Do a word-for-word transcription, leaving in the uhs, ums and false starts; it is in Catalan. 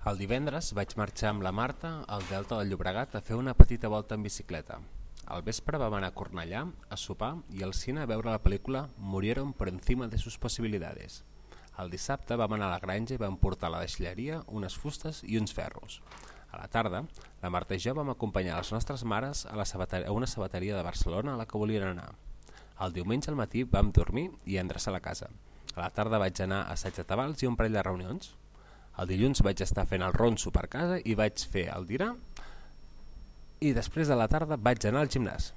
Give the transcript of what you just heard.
El divendres vaig marxar amb la Marta al Delta del Llobregat a fer una petita volta en bicicleta. Al vespre vam anar a Cornellà a sopar i al cine a veure la pel·lícula Murieron por encima de sus posibilidades. El dissabte vam anar a la granja i vam portar a la deixalleria unes fustes i uns ferros. A la tarda, la Marta i jo vam acompanyar les nostres mares a, la sabateria, a una sabateria de Barcelona a la que volien anar. El diumenge al matí vam dormir i endreçar la casa. A la tarda vaig anar a assaig de tabals i un parell de reunions. El dilluns vaig estar fent el ronso per casa i vaig fer el dinar i després de la tarda vaig anar al gimnàs.